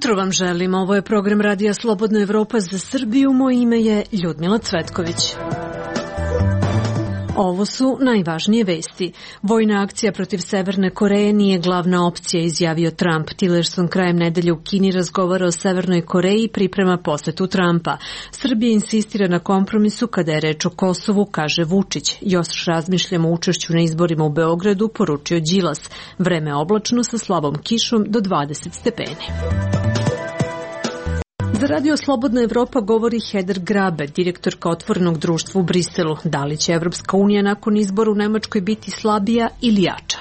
jutro vam želim. Ovo je program Radija Slobodna Evropa za Srbiju. Moje ime je Ljudmila Cvetković. Ovo su najvažnije vesti. Vojna akcija protiv Severne Koreje nije glavna opcija, izjavio Trump. Tillerson krajem nedelje u Kini razgovara o Severnoj Koreji i priprema posetu Trumpa. Srbija insistira na kompromisu kada je reč o Kosovu, kaže Vučić. Još razmišljamo o učešću na izborima u Beogradu, poručio Đilas. Vreme oblačno sa slabom kišom do 20 stepeni. Za Radio Slobodna Evropa govori Heder Grabe, direktorka Otvorenog društva u Briselu. Da li će Evropska unija nakon izbora u Nemačkoj biti slabija ili jača?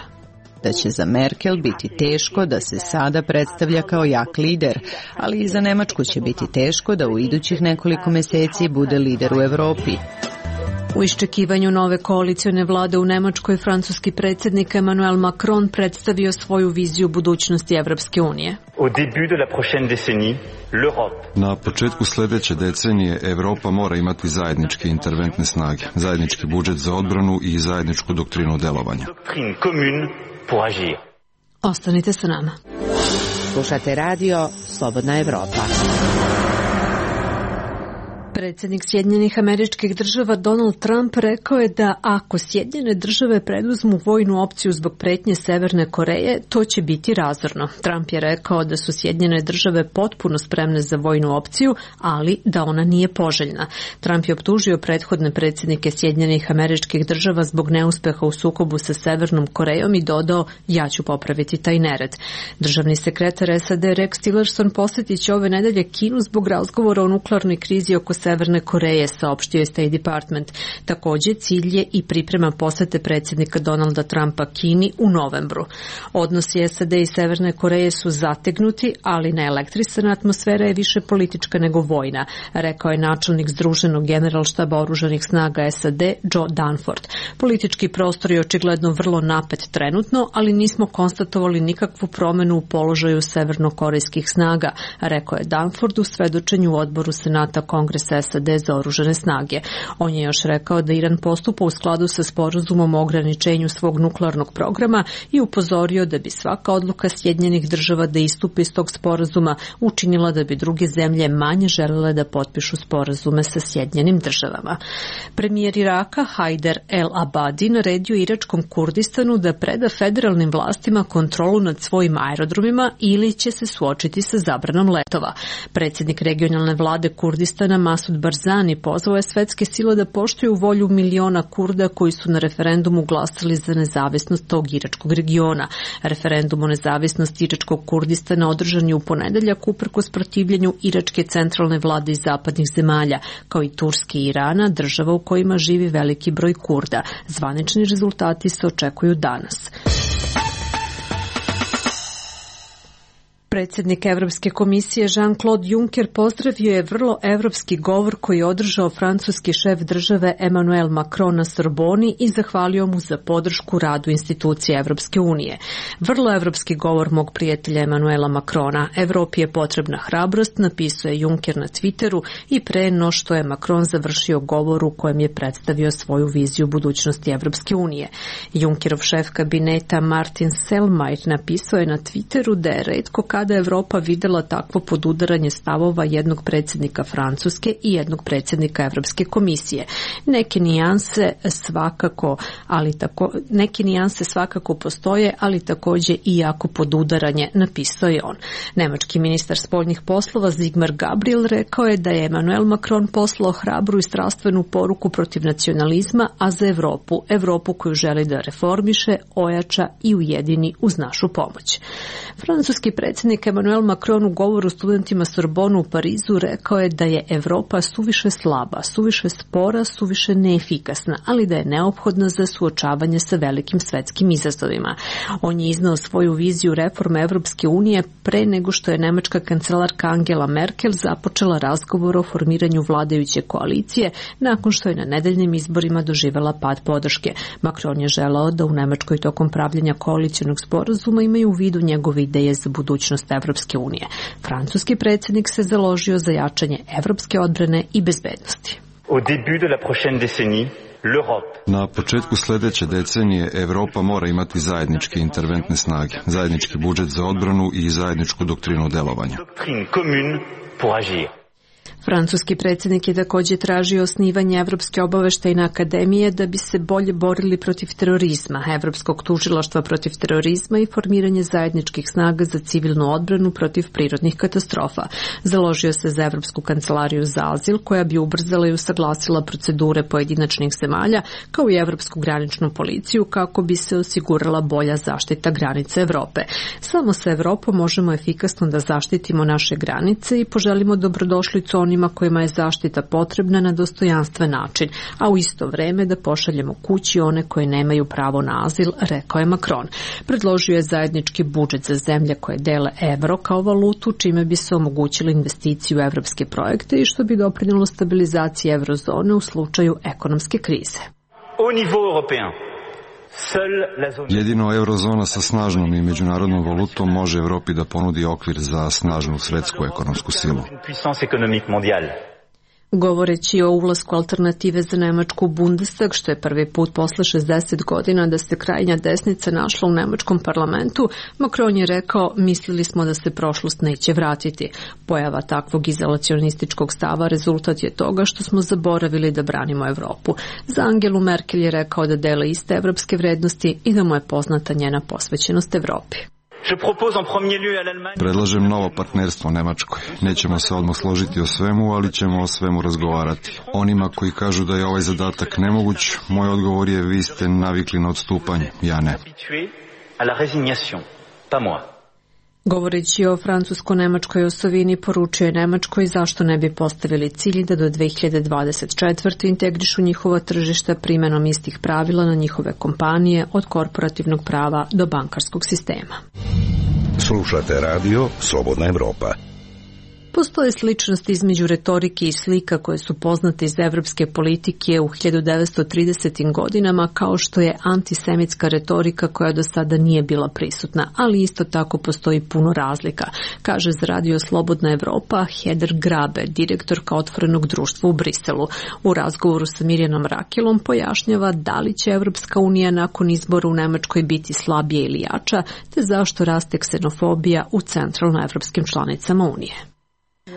Da će za Merkel biti teško da se sada predstavlja kao jak lider, ali i za Nemačku će biti teško da u idućih nekoliko meseci bude lider u Evropi. U iščekivanju nove koalicione vlade u Nemačkoj, francuski predsjednik Emmanuel Macron predstavio svoju viziju budućnosti Evropske unije. Na početku sljedeće decenije Evropa mora imati zajedničke interventne snage, zajednički budžet za odbranu i zajedničku doktrinu delovanja. Ostanite sa nama. Slušate radio Slobodna Evropa. Predsjednik Sjedinjenih Američkih Država Donald Trump rekao je da ako Sjedinjene Države preduzmu vojnu opciju zbog pretnje Severne Koreje, to će biti razorno. Trump je rekao da su Sjedinjene Države potpuno spremne za vojnu opciju, ali da ona nije poželjna. Trump je optužio prethodne predsjednike Sjedinjenih Američkih Država zbog neuspeha u sukobu sa Severnom Korejom i dodao: ja ću popraviti taj nered. Državni sekretar SAD Rex Tillerson posjetit će ove nedelje Kinu zbog razgovora o nuklearnoj krizi oko Severne Koreje, saopštio je State Department. Također, cilj je i priprema posete predsjednika Donalda Trumpa Kini u novembru. Odnosi SAD i Severne Koreje su zategnuti, ali neelektrisana atmosfera je više politička nego vojna, rekao je načelnik Združenog generalštaba oružanih snaga SAD Joe Dunford. Politički prostor je očigledno vrlo napet trenutno, ali nismo konstatovali nikakvu promjenu u položaju severnokorejskih snaga, rekao je Dunford u svedočenju u odboru Senata Kongresa SAD za oružane snage. On je još rekao da Iran postupa u skladu sa sporazumom o ograničenju svog nuklearnog programa i upozorio da bi svaka odluka Sjedinjenih Država da istupi iz tog sporazuma učinila da bi druge zemlje manje želele da potpišu sporazume sa Sjedinjenim Državama. Premijer Iraka Haider el-Abadi naredio iračkom Kurdistanu da preda federalnim vlastima kontrolu nad svojim aerodromima ili će se suočiti sa zabranom letova. Predsjednik regionalne vlade Kurdistana Masud Barzani pozvao je svetske sile da poštuju volju miliona Kurda koji su na referendumu glasali za nezavisnost tog iračkog regiona. Referendum o nezavisnosti iračkog Kurdistana održan je u ponedeljak uprkos protivljenju iračke centralne vlade iz zapadnih zemalja, kao i Turske i Irana, država u kojima živi veliki broj Kurda. Zvanični rezultati se očekuju danas. Predsjednik Evropske komisije Jean-Claude Juncker pozdravio je vrlo evropski govor koji je održao francuski šef države Emmanuel Macron na Sorboni i zahvalio mu za podršku radu institucije Evropske unije. Vrlo evropski govor mog prijatelja Emmanuela Macrona. Evropi je potrebna hrabrost, napisao je Juncker na Twitteru i pre no što je Macron završio govor u kojem je predstavio svoju viziju budućnosti Evropske unije. Junckerov šef kabineta Martin Selmayr napisao je na Twitteru da je retko kada Evropa videla takvo podudaranje stavova jednog predsjednika Francuske i jednog predsjednika Evropske komisije. Neke nijanse svakako postoje, ali također i jako podudaranje, napisao je on. Nemački ministar spoljnih poslova Sigmar Gabriel rekao je da je Emmanuel Macron poslao hrabru i strastvenu poruku protiv nacionalizma, a za Evropu koju želi da reformiše, ojača i ujedini uz našu pomoć. Francuski predsjednik Emmanuel Macron u govoru studentima Sorbonu u Parizu rekao je da je Evropa suviše slaba, suviše spora, suviše neefikasna, ali da je neophodna za suočavanje sa velikim svetskim izazovima. On je iznao svoju viziju reforme Evropske unije pre nego što je nemačka kancelarka Angela Merkel započela razgovor o formiranju vladajuće koalicije nakon što je na nedeljnim izborima doživela pad podrške. Macron je želeo da u Nemačkoj tokom pravljenja koalicionog sporazuma imaju u vidu njegove ideje za budućnost Evropske unije. Francuski predsjednik se založio za jačanje evropske odbrane i bezbednosti. Au début de la prochaine décennie, Na početku sljedeće decenije Europa mora imati zajedničke interventne snage, zajednički budžet za odbranu i zajedničku doktrinu delovanja. Francuski predsjednik je također tražio osnivanje Evropske obaveštajne akademije da bi se bolje borili protiv terorizma, Evropskog tužilaštva protiv terorizma i formiranje zajedničkih snaga za civilnu odbranu protiv prirodnih katastrofa. Založio se za Evropsku kancelariju za azil koja bi ubrzala i usaglasila procedure pojedinačnih zemalja kao i Evropsku graničnu policiju kako bi se osigurala bolja zaštita granica Evrope. Samo sa Evropom možemo efikasno da zaštitimo naše granice i poželimo dobrodošlicu onima kojima je zaštita potrebna na dostojanstven način, a u isto vreme da pošaljemo kući one koje nemaju pravo na azil, rekao je Macron. Predložio je zajednički budžet za zemlje koje dele evro kao valutu, čime bi se omogućili investiciju u evropske projekte i što bi doprinjelo stabilizaciji eurozone u slučaju ekonomske krize. Jedino eurozona sa snažnom i međunarodnom valutom može Evropi da ponudi okvir za snažnu svetsku ekonomsku silu. Govoreći o ulasku alternative za Nemačku u Bundestag, što je prvi put posle 60 godina da se krajnja desnica našla u nemačkom parlamentu, Macron je rekao: mislili smo da se prošlost neće vratiti. Pojava takvog izolacionističkog stava rezultat je toga što smo zaboravili da branimo Evropu. Za Angelu Merkel je rekao da dele iste evropske vrednosti i da mu je poznata njena posvećenost Evropi. Predlažem novo partnerstvo Nemačkoj. Nećemo se odmah složiti o svemu, ali ćemo o svemu razgovarati. Onima koji kažu da je ovaj zadatak nemoguć, moj odgovor je: vi ste navikli na odstupanje, ja ne. Govoreći o francusko-nemačkoj osovini, poručio je Nemačkoj zašto ne bi postavili cilj da do 2024. integrišu njihova tržišta primjenom istih pravila na njihove kompanije od korporativnog prava do bankarskog sistema. Slušate radio Slobodna Evropa. Postoje sličnosti između retorike i slika koje su poznate iz evropske politike u 1930. godinama, kao što je antisemitska retorika koja do sada nije bila prisutna, ali isto tako postoji puno razlika, kaže za radio Slobodna Evropa Heder Grabe, direktorka Otvorenog društva u Briselu. U razgovoru sa Mirjanom Rakilom pojašnjava da li će Evropska unija nakon izbora u Nemačkoj biti slabija ili jača, te zašto raste ksenofobija u centralnoevropskim članicama Unije.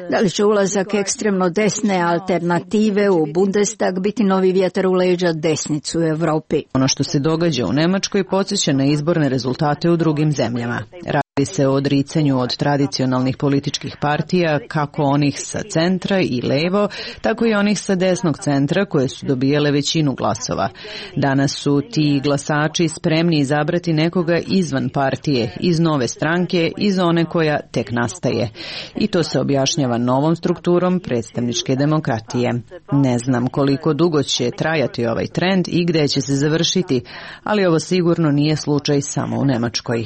Da li će ulazak ekstremno desne alternative u Bundestag biti novi vjetar u leđa desnicu u Evropi? Ono što se događa u Nemačkoj podsjeća na izborne rezultate u drugim zemljama. Radi se o odricanju od tradicionalnih političkih partija, kako onih sa centra i levo, tako i onih sa desnog centra koje su dobijale većinu glasova. Danas su ti glasači spremni izabrati nekoga izvan partije, iz nove stranke, iz one koja tek nastaje. I to se objašnjava novom strukturom predstavničke demokratije. Ne znam koliko dugo će trajati ovaj trend i gde će se završiti, ali ovo sigurno nije slučaj samo u Nemačkoj.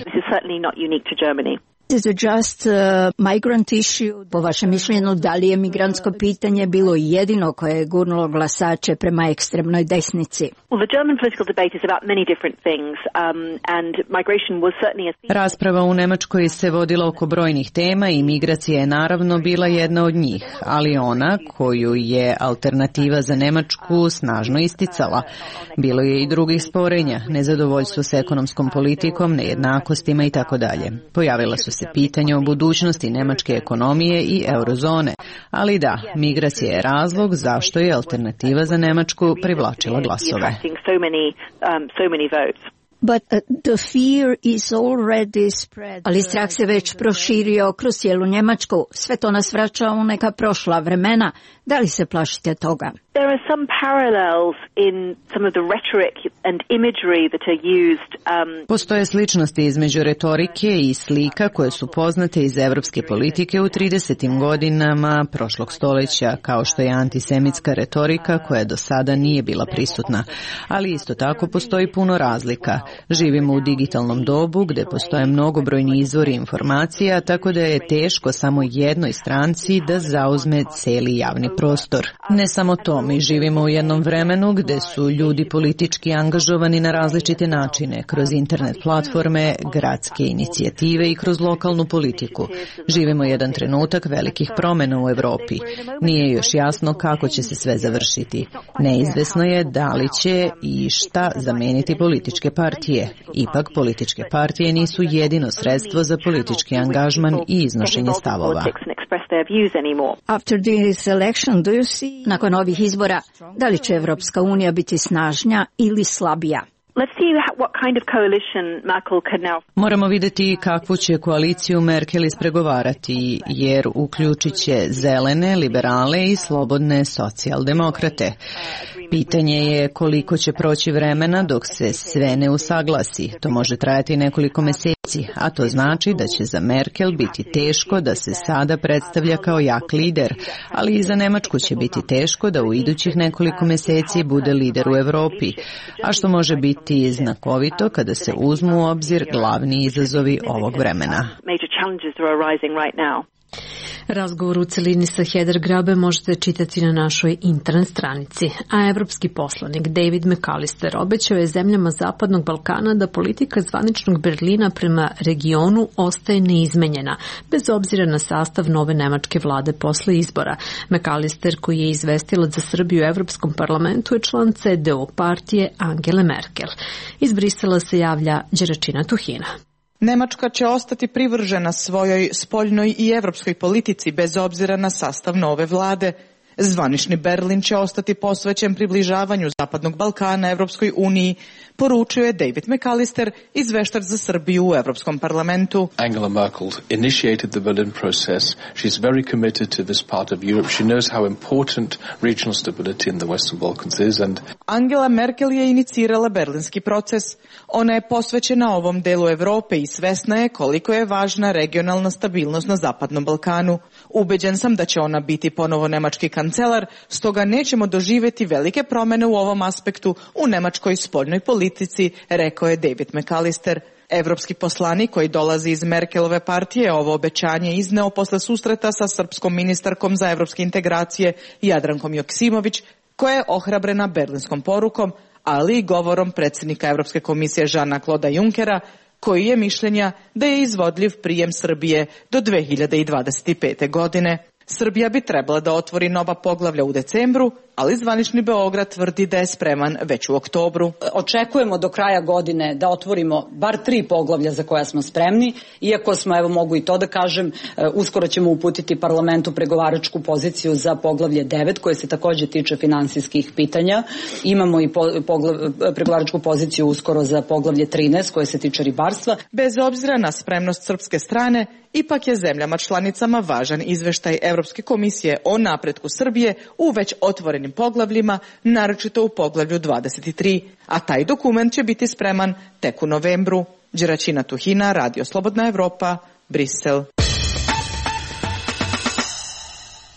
Is it just a migrant issue? Po vašem mišljenju, da li je migrantsko pitanje bilo jedino koje je gurnulo glasače prema ekstremnoj desnici? Rasprava u Nemačkoj se vodila oko brojnih tema i migracija je naravno bila jedna od njih, ali ona koju je alternativa za Nemačku snažno isticala. Bilo je i drugih sporenja, nezadovoljstvo s ekonomskom politikom, nejednakostima i tako dalje. Pojavila su se pitanja o budućnosti nemačke ekonomije i eurozone, ali da, migracija je razlog zašto je alternativa za Nemačku privlačila glasove. But the fear is already spread. Ali strah se već proširio kroz cijelu Njemačku. Sve to nas vraća u neka prošla vremena. Da li se plašite toga? There are some parallels in some of the rhetoric and imagery that are used. Postoje sličnosti između retorike i slika koje su poznate iz evropske politike u 30. godinama prošlog stoljeća, kao što je antisemitska retorika koja do sada nije bila prisutna. Ali isto tako postoji puno razlika. Živimo u digitalnom dobu gdje postoje mnogobrojni izvori informacija, tako da je teško samo jednoj stranci da zauzme cijeli javni prostor. Ne samo to, Mi živimo u jednom vremenu gde su ljudi politički angažovani na različite načine, kroz internet platforme, gradske inicijative i kroz lokalnu politiku. Živimo jedan trenutak velikih promjena u Evropi. Nije još jasno kako će se sve završiti. Neizvesno je da li će i šta zameniti političke partije. Ipak političke partije nisu jedino sredstvo za politički angažman i iznošenje stavova. Nakon ovih izbora, da li će Evropska unija biti snažnija ili slabija? Moramo vidjeti kakvu će koaliciju Merkel ispregovarati, jer uključit će zelene, liberale i slobodne socijaldemokrate. Pitanje je koliko će proći vremena dok se sve ne usaglasi. To može trajati nekoliko meseci, a to znači da će za Merkel biti teško da se sada predstavlja kao jak lider, ali i za Nemačku će biti teško da u idućih nekoliko meseci bude lider u Evropi, a što može biti znakovito kada se uzmu u obzir glavni izazovi ovog vremena. Razgovor u celini sa Heather Grabe možete čitati na našoj internet stranici, a evropski poslanik David McAllister obećao je zemljama Zapadnog Balkana da politika zvaničnog Berlina prema regionu ostaje neizmenjena, bez obzira na sastav nove nemačke vlade posle izbora. McAllister, koji je izvestilac za Srbiju u Evropskom parlamentu, je član CDU partije Angele Merkel. Iz Brisela se javlja Đeračina Tuhina. Nemačka će ostati privržena svojoj spoljnoj i evropskoj politici bez obzira na sastav nove vlade. Zvanični Berlin će ostati posvećen približavanju Zapadnog Balkana Evropskoj uniji, poručio je David McAllister, izveštač za Srbiju u Evropskom parlamentu. Angela Merkel initiated the Berlin process. She's very committed to this part of Europe. She knows how important regional stability in the Western Balkans is. Angela Merkel je inicirala berlinski proces. Ona je posvećena ovom delu Evrope i svesna je koliko je važna regionalna stabilnost na Zapadnom Balkanu. Ubeđen sam da će ona biti ponovo nemački kancelar, stoga nećemo doživjeti velike promjene u ovom aspektu u nemačkoj spoljnoj politici, rekao je David McAllister. Evropski poslanik koji dolazi iz Merkelove partije ovo obećanje izneo posle susreta sa srpskom ministarkom za evropske integracije Jadrankom Joksimović, koja je ohrabrena berlinskom porukom, ali i govorom predsjednika Evropske komisije Jeana-Claude Junckera, koji je mišljenja da je izvodljiv prijem Srbije do 2025. godine. Srbija bi trebala da otvori nova poglavlja u decembru, ali zvanični Beograd tvrdi da je spreman već u oktobru. Očekujemo do kraja godine da otvorimo bar 3 poglavlja za koja smo spremni, iako smo, evo mogu i to da kažem, uskoro ćemo uputiti parlamentu pregovaračku poziciju za poglavlje 9, koje se također tiče finansijskih pitanja. Imamo i pregovaračku poziciju uskoro za poglavlje 13, koje se tiče ribarstva. Bez obzira na spremnost srpske strane, ipak je zemljama članicama važan izveštaj Evropske komisije o napretku Srbije u već otvorenim poglavljima, naročito u poglavlju 23, a taj dokument će biti spreman tek u novembru. Đeračina Tuhina, Radio Slobodna Evropa, Brisel.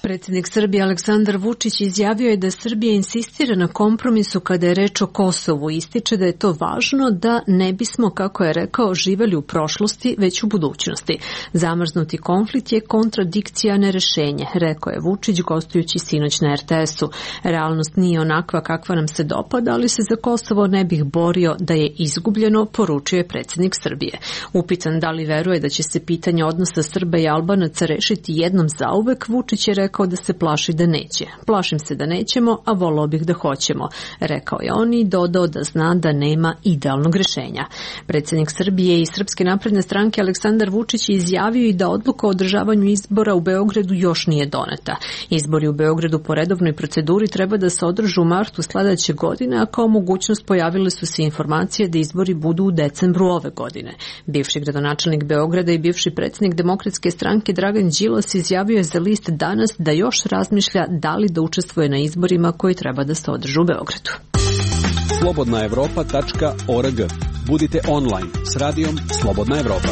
Predsjednik Srbije Aleksandar Vučić izjavio je da Srbija insistira na kompromisu kada je reč o Kosovu. Ističe da je to važno da ne bismo, kako je rekao, živeli u prošlosti, već u budućnosti. Zamrznuti konflikt je kontradikcija, ne rešenje, rekao je Vučić gostujući sinoć na RTS-u. Realnost nije onakva kakva nam se dopada, ali se za Kosovo ne bih borio da je izgubljeno, poručio je predsjednik Srbije. Upitan da li veruje da će se pitanje odnosa Srba i Albanaca rešiti jednom zauvek, Vučić je rekao da se plaši da neće. Plašim se da nećemo, a volao bih da hoćemo, rekao je on i dodao da zna da nema idealnog rešenja. Predsjednik Srbije i Srpske napredne stranke Aleksandar Vučić je izjavio i da odluka o održavanju izbora u Beogradu još nije doneta. Izbori u Beogradu po redovnoj proceduri treba da se održe u martu sledeće godine, a kao mogućnost pojavile su se informacije da izbori budu u decembru ove godine. Bivši gradonačelnik Beograda i bivši predsjednik Demokratske stranke Dragan Đilas izjavio je za list Danas da još razmišlja da li da učestvuje na izborima koji treba da se održe u Beogradu. slobodnaevropa.org. Budite online s radijom Slobodna Evropa.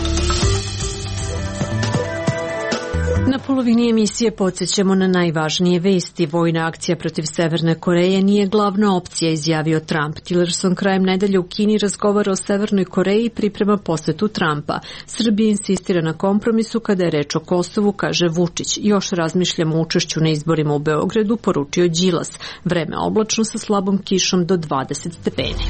Na polovini emisije podsjećamo na najvažnije vesti. Vojna akcija protiv Severne Koreje nije glavna opcija, izjavio Trump. Tillerson krajem nedelje u Kini razgovara o Severnoj Koreji i priprema posetu Trumpa. Srbija insistira na kompromisu kada je reč o Kosovu, kaže Vučić. Još razmišljamo o učešću na izborima u Beogradu, poručio Đilas. Vreme oblačno sa slabom kišom do 20 stepeni.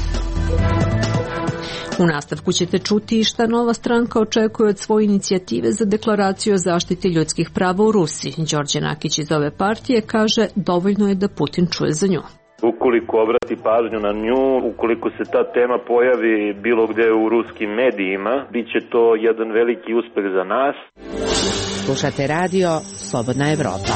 U nastavku ćete čuti šta nova stranka očekuje od svoje inicijative za deklaraciju o zaštiti ljudskih prava u Rusiji. Đorđe Nakić iz ove partije kaže dovoljno je da Putin čuje za nju. Ukoliko obrati pažnju na nju, ukoliko se ta tema pojavi bilo gde u ruskim medijima, bit će to jedan veliki uspeh za nas. Slušate radio Slobodna Evropa.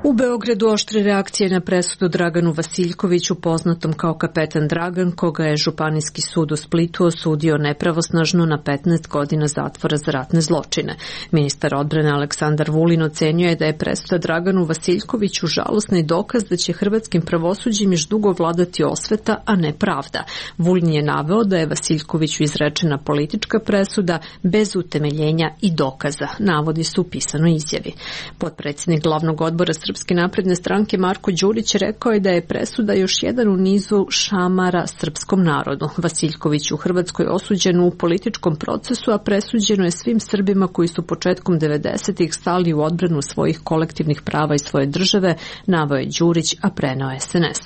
U Beogradu oštre reakcije na presudu Draganu Vasiljkoviću, poznatom kao kapetan Dragan, koga je Županijski sud u Splitu osudio nepravosnažno na 15 godina zatvora za ratne zločine. Ministar odbrane Aleksandar Vulin ocenio je da je presuda Draganu Vasiljkoviću žalosni dokaz da će hrvatskim pravosuđem još dugo vladati osveta, a ne pravda. Vulin je naveo da je Vasiljkoviću izrečena politička presuda bez utemeljenja i dokaza, navodi su u pisanoj izjavi. Potpredsjednik glavnog odbora Srpske napredne stranke Marko Đurić rekao je da je presuda još jedan u nizu šamara srpskom narodu. Vasiljković u Hrvatskoj osuđen u političkom procesu, a presuđeno je svim Srbima koji su početkom 90-ih stali u odbranu svojih kolektivnih prava i svoje države, naveo je Đurić, a preneo SNS.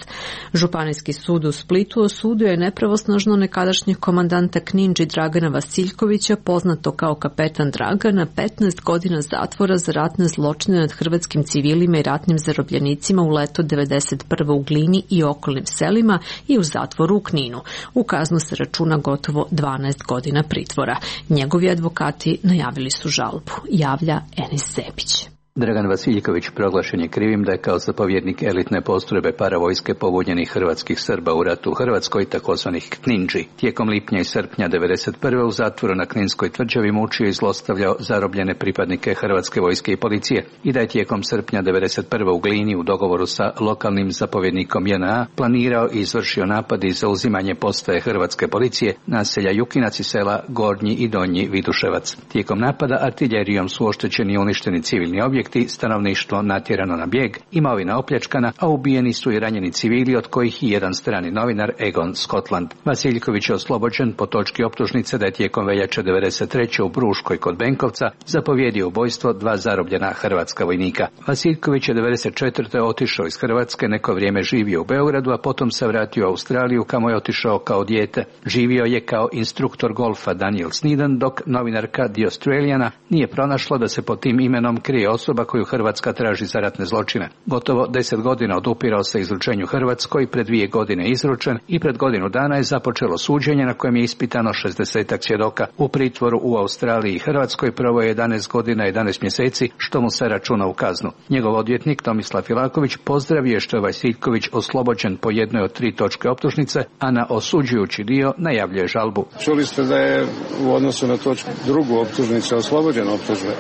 Županijski sud u Splitu osudio je nepravosnažno nekadašnjeg komandanta Kninđi Dragana Vasiljkovića, poznato kao kapetan Dragan, na 15 godina zatvora za ratne zločine nad hrvatskim civilima i ratnim zarobljenicima u leto 1991. u Glini i okolnim selima i u zatvoru u Kninu. U kaznu se računa gotovo 12 godina pritvora. Njegovi advokati najavili su žalbu, javlja Enis Zebić. Dragan Vasiljković proglašen je krivim da je kao zapovjednik elitne postrojbe paravojske pobunjenih hrvatskih Srba u ratu u Hrvatskoj, takozvanih Knindži. Tijekom lipnja i srpnja 1991. u zatvoru na Kninskoj tvrđavi mučio i zlostavljao zarobljene pripadnike Hrvatske vojske i policije i da je tijekom srpnja 1991. u Glini u dogovoru sa lokalnim zapovjednikom JNA planirao i izvršio napad i zauzimanje postaje Hrvatske policije, naselja Jukinac i sela Gornji i Donji Viduševac. Tijekom napada artiljerijom su oštećeni i uništeni civilni objekti, stanovništvo natjerano na bijeg, imovina opljačkana, a ubijeni su i ranjeni civili, od kojih i jedan strani novinar Egon Scotland. Vasiljković je oslobođen po točki optužnice da je tijekom veljače 1993. u Bruškoj kod Benkovca zapovjedio ubojstvo 2 zarobljena hrvatska vojnika. Vasiljković je 1994. otišao iz Hrvatske, neko vrijeme živio u Beogradu, a potom se vratio u Australiju, kamo je otišao kao dijete. Živio je kao instruktor golfa Daniel Sneeden, dok novinarka The Australiana nije pronašla da se pod tim imenom krije osoba koju Hrvatska traži za ratne zločine. Gotovo 10 godina odupirao se izručenju Hrvatskoj, pred 2 godine izručen i pred godinu dana je započelo suđenje na kojem je ispitano 60 svjedoka. U pritvoru u Australiji i Hrvatskoj proveo je 11 godina i 11 mjeseci, što mu se računa u kaznu. Njegov odvjetnik Tomislav Filaković pozdravio je što je Vasiljković oslobođen po jednoj od 3 točke optužnice, a na osuđujući dio najavljuje žalbu. Čuli ste da je u odnosu na točku drugu optužnice oslobođen optužbe.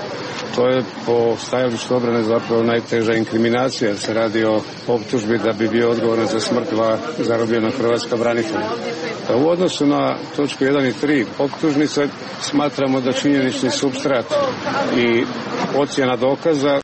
To je po stajalištu obrane zapravo najteža inkriminacija, jer se radi o optužbi da bi bio odgovoran za smrt 2 zarobljena hrvatska branitelja. U odnosu na točku 1 i 3 optužnice smatramo da činjenični supstrat i ocjena dokaza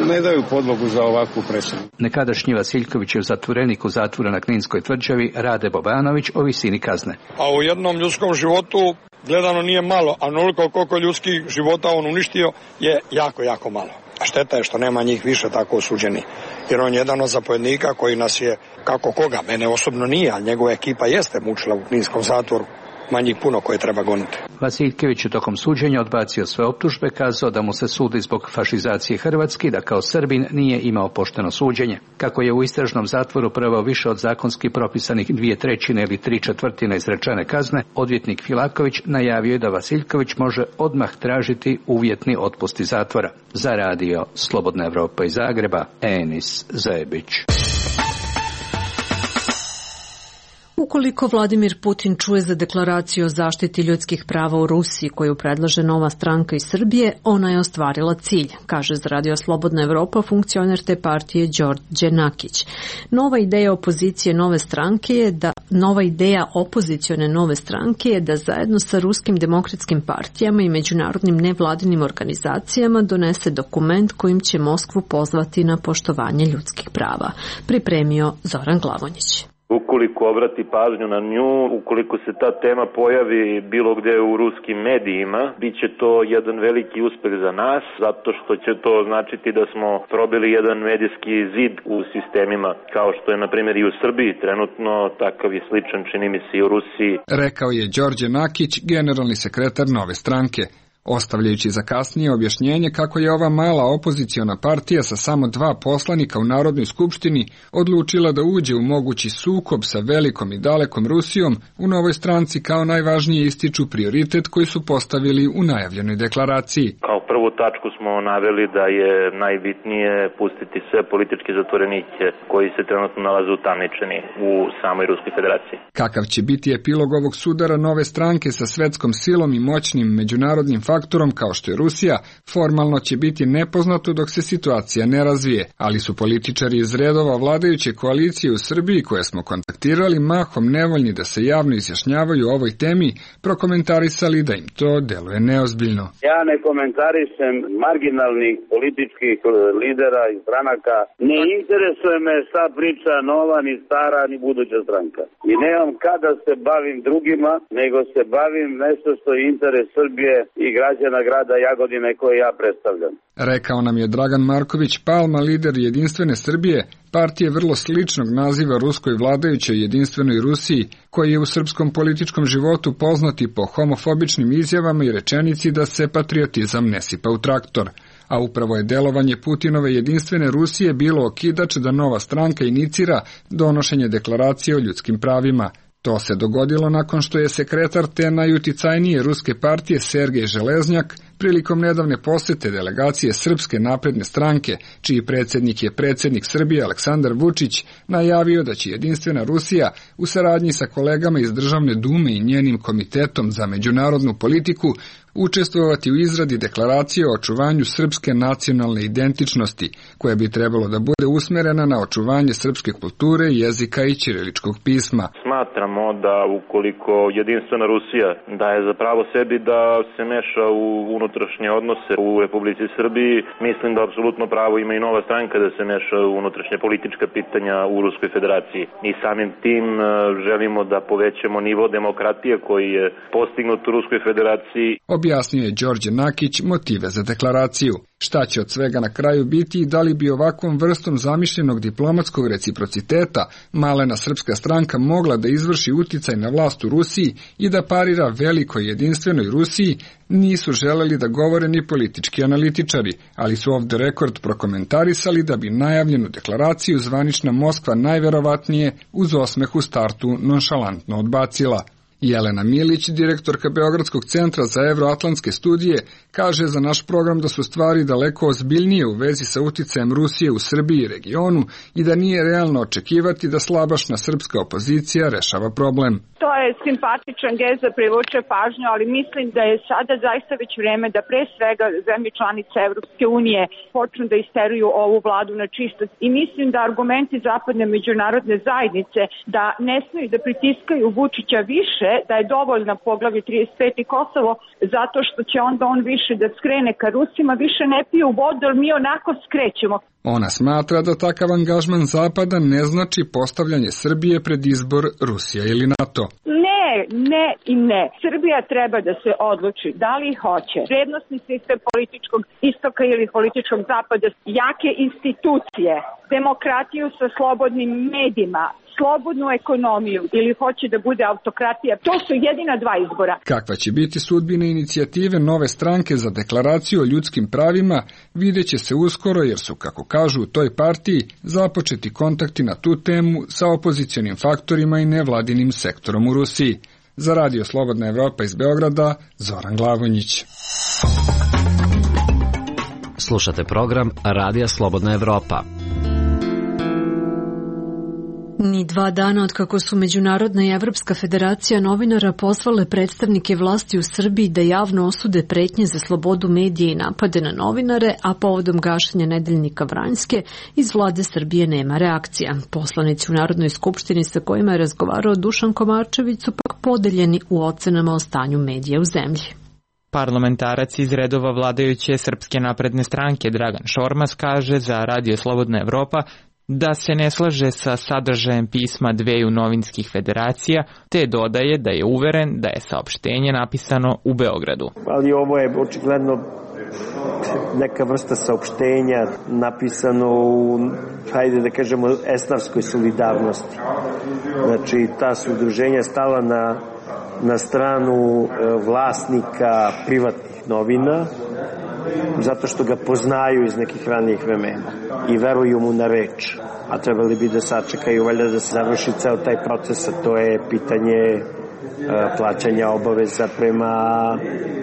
ne daju podlogu za ovakvu presudu. Nekadašnji Vasiljkovićev zatvorenik u zatvoru na Kninskoj tvrđavi Rade Bobanović o visini kazne. A u jednom ljudskom životu gledano nije malo, a onoliko koliko ljudskih života on uništio je jako, jako malo. A šteta je što nema njih više tako osuđeni. Jer on je jedan od zapovjednika koji nas je, kako koga, mene osobno nije, ali njegova ekipa jeste mučila u Kninskom zatvoru. Manjih puno koje treba goniti. Vasiljković je tokom suđenja odbacio sve optužbe, kazao da mu se sudi zbog fašizacije Hrvatske i da kao Srbin nije imao pošteno suđenje. Kako je u istražnom zatvoru proveo više od zakonski propisanih 2/3 ili 3/4 izrečene kazne, odvjetnik Filaković najavio je da Vasiljković može odmah tražiti uvjetni otpust iz zatvora. Za radio Slobodna Evropa iz Zagreba, Enis Zebić. Ukoliko Vladimir Putin čuje za deklaraciju o zaštiti ljudskih prava u Rusiji koju predlaže Nova stranka iz Srbije, ona je ostvarila cilj, kaže za Radio Slobodna Evropa funkcioner te partije Đorđe Nakić. Nova ideja opozicione nove stranke je da zajedno sa ruskim demokratskim partijama i međunarodnim nevladinim organizacijama donese dokument kojim će Moskvu pozvati na poštovanje ljudskih prava. Pripremio Zoran Glavonjić. Ukoliko obrati pažnju na nju, ukoliko se ta tema pojavi bilo gde u ruskim medijima, bit će to jedan veliki uspeh za nas, zato što će to značiti da smo probili jedan medijski zid u sistemima, kao što je na primjer i u Srbiji trenutno, takav je sličan čini mi se i u Rusiji. Rekao je Đorđe Nakić, generalni sekretar Nove stranke, ostavljajući za kasnije objašnjenje kako je ova mala opoziciona partija sa samo 2 poslanika u Narodnoj skupštini odlučila da uđe u mogući sukob sa velikom i dalekom Rusijom, u Novoj stranci kao najvažnije ističu prioritet koji su postavili u najavljenoj deklaraciji. Kao prvu tačku smo naveli da je najbitnije pustiti sve političke zatvorenike koji se trenutno nalaze utamničeni u samoj Ruskoj federaciji. Kakav će biti epilog ovog sudara Nove stranke sa svetskom silom i moćnim međunarodnim faktorom kao što je Rusija, formalno će biti nepoznato dok se situacija ne razvije, ali su političari iz redova vladajuće koalicije u Srbiji koje smo kontaktirali mahom nevoljni da se javno izjašnjavaju o ovoj temi, prokomentarisali da im to deluje neozbiljno. Ja ne komentarišem marginalnih političkih lidera i stranaka. Ne interesuje me šta priča nova, ni stara, ni buduća stranka. I nemam kada se bavim drugima, nego se bavim nešto što je interes Srbije i građana grada Jagodine koje ja predstavljam. Rekao nam je Dragan Marković Palma, lider Jedinstvene Srbije, partije vrlo sličnog naziva ruskoj vladajućoj Jedinstvenoj Rusiji, koji je u srpskom političkom životu poznati po homofobičnim izjavama i rečenici da se patriotizam ne sipa u traktor. A upravo je delovanje Putinove Jedinstvene Rusije bilo okidač da Nova stranka inicira donošenje deklaracije o ljudskim pravima. To se dogodilo nakon što je sekretar te najuticajnije ruske partije Sergej Železnjak prilikom nedavne posete delegacije Srpske napredne stranke, čiji predsjednik je predsjednik Srbije Aleksandar Vučić, najavio da će Jedinstvena Rusija u saradnji sa kolegama iz Državne dume i njenim komitetom za međunarodnu politiku učestvovati u izradi deklaracije o očuvanju srpske nacionalne identičnosti, koja bi trebalo da bude usmerena na očuvanje srpske kulture, jezika i ćiriličkog pisma. Smatramo da ukoliko Jedinstvena Rusija daje za pravo sebi da se meša u unutrašnje odnose u Republici Srbiji, mislim da apsolutno pravo ima i Nova stranka da se meša u unutrašnje politička pitanja u Ruskoj federaciji. I samim tim želimo da povećamo nivo demokratije koji je postignut u Ruskoj federaciji. Objasnio je Đorđe Nakić motive za deklaraciju. Šta će od svega na kraju biti i da li bi ovakvom vrstom zamišljenog diplomatskog reciprociteta malena srpska stranka mogla da izvrši uticaj na vlast u Rusiji i da parira velikoj Jedinstvenoj Rusiji, nisu želeli da govore ni politički analitičari, ali su ovde rekord prokomentarisali da bi najavljenu deklaraciju zvanična Moskva najverovatnije uz osmeh u startu nonšalantno odbacila. Jelena Milić, direktorka Beogradskog centra za evroatlantske studije, kaže za naš program da su stvari daleko ozbiljnije u vezi sa uticajem Rusije u Srbiji i regionu i da nije realno očekivati da slabašna srpska opozicija rešava problem. To je simpatičan gest da privuče pažnju, ali mislim da je sada zaista već vreme da pre svega zemlje članice Evropske unije počnu da isteruju ovu vladu na čistost. I mislim da argumenti zapadne međunarodne zajednice da ne smeju da pritiskaju Vučića više, da je dovoljna poglavlje 35 i Kosovo, zato što će onda on više da skrene ka Rusima, više ne piju vodu, ali mi onako skrećemo. Ona smatra da takav angažman Zapada ne znači postavljanje Srbije pred izbor Rusija ili NATO. Ne i ne. Srbija treba da se odluči da li hoće vrednosni sistem političkog istoka ili političkog zapada, jake institucije, demokratiju sa slobodnim medijima, slobodnu ekonomiju ili hoće da bude autokratija. To su jedina dva izbora. Kakva će biti sudbina inicijative Nove stranke za deklaraciju o ljudskim pravima, vidjet će se uskoro jer su, kako kažu u toj partiji, započeti kontakti na tu temu sa opozicionim faktorima i nevladinim sektorom u Rusiji. Za Radio Slobodna Evropa iz Beograda, Zoran Glavonjić. Slušate program Radija Slobodna Evropa. Ni 2 dana od kako su Međunarodna i Evropska federacija novinara poslale predstavnike vlasti u Srbiji da javno osude pretnje za slobodu medija i napade na novinare, a povodom gašenja nedeljnika Vranjske, iz vlade Srbije nema reakcija. Poslanici u Narodnoj skupštini sa kojima je razgovarao Dušan Komarčević su pak podeljeni u ocenama o stanju medija u zemlji. Parlamentarac iz redova vladajuće Srpske napredne stranke Dragan Šormaz kaže za Radio Slobodna Evropa da se ne slaže sa sadržajem pisma dveju novinskih federacija, te dodaje da je uveren da je saopštenje napisano u Beogradu. Ali ovo je očigledno neka vrsta saopštenja napisano u, hajde da kažemo, esnafskoj solidarnosti. Znači, ta su udruženja stala na stranu vlasnika privatnih novina, zato što ga poznaju iz nekih ranijih vremena i veruju mu na reč, a trebali bi da sačekaju valjda da se završi ceo taj proces, a to je pitanje plaćanja obaveza prema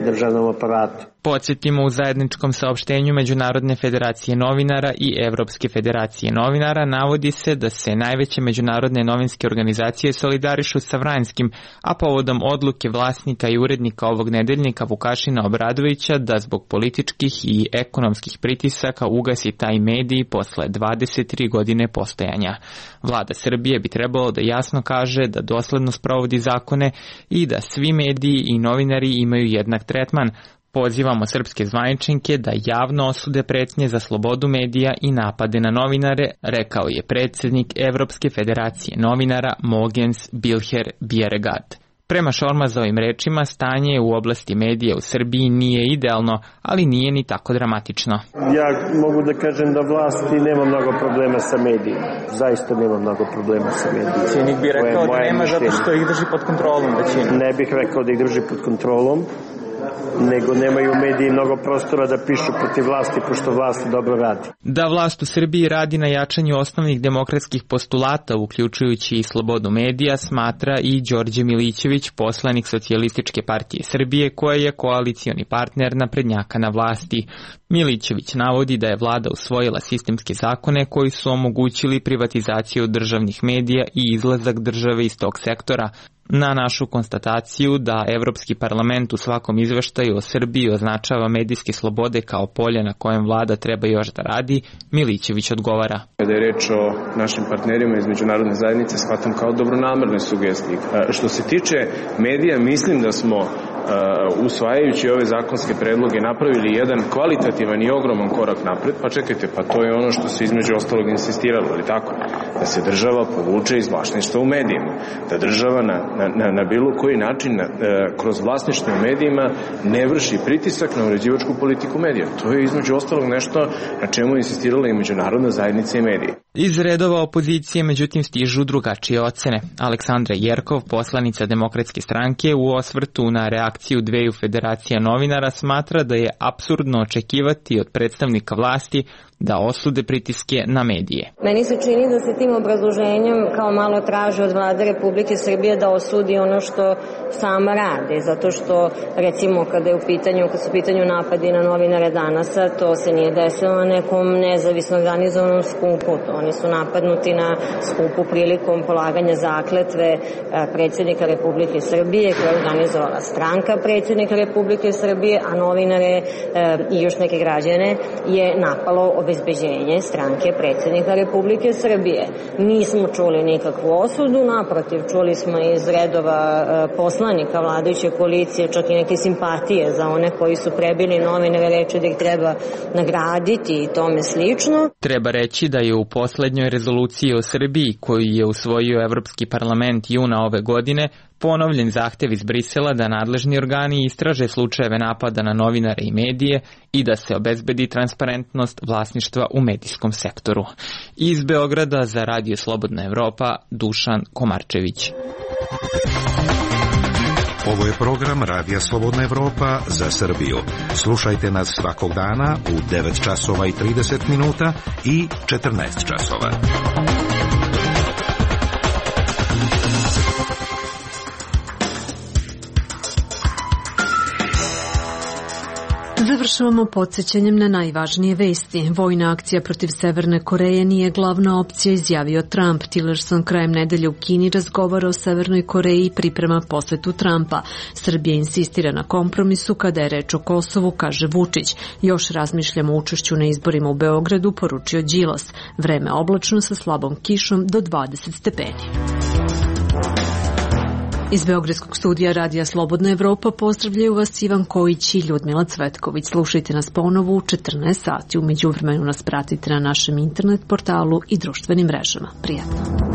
državnom aparatu. Podsjetimo, u zajedničkom saopštenju Međunarodne federacije novinara i Evropske federacije novinara navodi se da se najveće međunarodne novinske organizacije solidarišu sa Vranjskim, a povodom odluke vlasnika i urednika ovog nedeljnika Vukašina Obradovića da zbog političkih i ekonomskih pritisaka ugasi taj medij posle 23 godine postojanja. Vlada Srbije bi trebalo da jasno kaže da dosledno sprovodi zakone i da svi mediji i novinari imaju jednak tretman. Pozivamo srpske zvaničnike da javno osude pretnje za slobodu medija i napade na novinare, rekao je predsjednik Evropske federacije novinara Mogens Bilher Bjerregard. Prema Šormazovim rečima, stanje u oblasti medija u Srbiji nije idealno, ali nije ni tako dramatično. Ja mogu da kažem da vlasti nema mnogo problema sa medijima. Zaista nema mnogo problema sa medijima. Cijenik bi rekao da nema zato što ih drži pod kontrolom većina. Ne bih rekao da ih drži pod kontrolom, nego nemaju mediji mnogo prostora da pišu protiv vlasti, pošto vlast dobro radi. Da vlast u Srbiji radi na jačanju osnovnih demokratskih postulata, uključujući i slobodu medija, smatra i Đorđe Milićević, poslanik Socijalističke partije Srbije, koja je koalicioni partner naprednjaka na vlasti. Milićević navodi da je vlada usvojila sistemske zakone koji su omogućili privatizaciju državnih medija i izlazak države iz tog sektora. Na našu konstataciju da Evropski parlament u svakom izveštaju o Srbiji označava medijske slobode kao polje na kojem vlada treba još da radi, Milićević odgovara. Kada je reč o našim partnerima iz međunarodne zajednice, shvatam kao dobronamerne sugestije. Što se tiče medija, mislim da smo usvajajući ove zakonske predloge napravili jedan kvalitativan i ogroman korak napred. Pa čekajte, pa to je ono što se između ostalog insistiralo, ali tako? Da se država povuče iz vlasništva u medijima. Da država na bilo koji način kroz vlasništvo u medijima ne vrši pritisak na uređivačku politiku medija. To je između ostalog nešto na čemu je insistirala i međunarodna zajednica i medije. Iz redova opozicije međutim stižu drugačije ocene. Aleksandra Jerkov, poslanica Demokratske stranke, u osvrtu na reakciju dveju federacija novinara smatra da je apsurdno očekivati od predstavnika vlasti da osude pritiske na medije. Meni se čini da se tim obrazloženjem kao malo traži od vlade Republike Srbije da osudi ono što sama rade, zato što recimo kad su u pitanju napadi na novinare Danasa, to se nije desilo na nekom nezavisno organizovanom skupu, oni su napadnuti na skupu prilikom polaganja zakletve predsjednika Republike Srbije koja je organizovala stranka predsjednika Republike Srbije, a novinare i još neke građane je napalo obezbeđenje stranke predsjednika Republike Srbije. Nismo čuli nikakvu osudu, naprotiv, čuli smo iz redova poslanika vladajuće koalicije čak i neke simpatije za one koji su prebili novinare, reći da ih treba nagraditi i tome slično. Treba reći da je u poslednjoj rezoluciji o Srbiji, koju je usvojio Evropski parlament juna ove godine, ponovljen zahtev iz Brisela da nadležni organi istraže slučajeve napada na novinare i medije i da se obezbedi transparentnost vlasništva u medijskom sektoru. Iz Beograda za Radio Slobodna Evropa, Dušan Komarčević. Ovo je program Radija Slobodna Evropa za Srbiju. Slušajte nas svakog dana u 9 časova i 30 minuta i 14 časova. Završavamo podsjećanjem na najvažnije vesti. Vojna akcija protiv Severne Koreje nije glavna opcija, izjavio Trump. Tillerson krajem nedelje u Kini razgovara o Severnoj Koreji i priprema posetu Trumpa. Srbija insistira na kompromisu kada je reč o Kosovu, kaže Vučić. Još razmišljamo o učešću na izborima u Beogradu, poručio Đilas. Vreme oblačno sa slabom kišom do 20 stepeni. Iz Beogradskog studija Radija Slobodna Evropa pozdravljaju vas Ivan Kojić i Ljudmila Cvetković. Slušajte nas ponovo u 14 sati. U međuvremenu nas pratite na našem internet portalu i društvenim mrežama. Prijatno.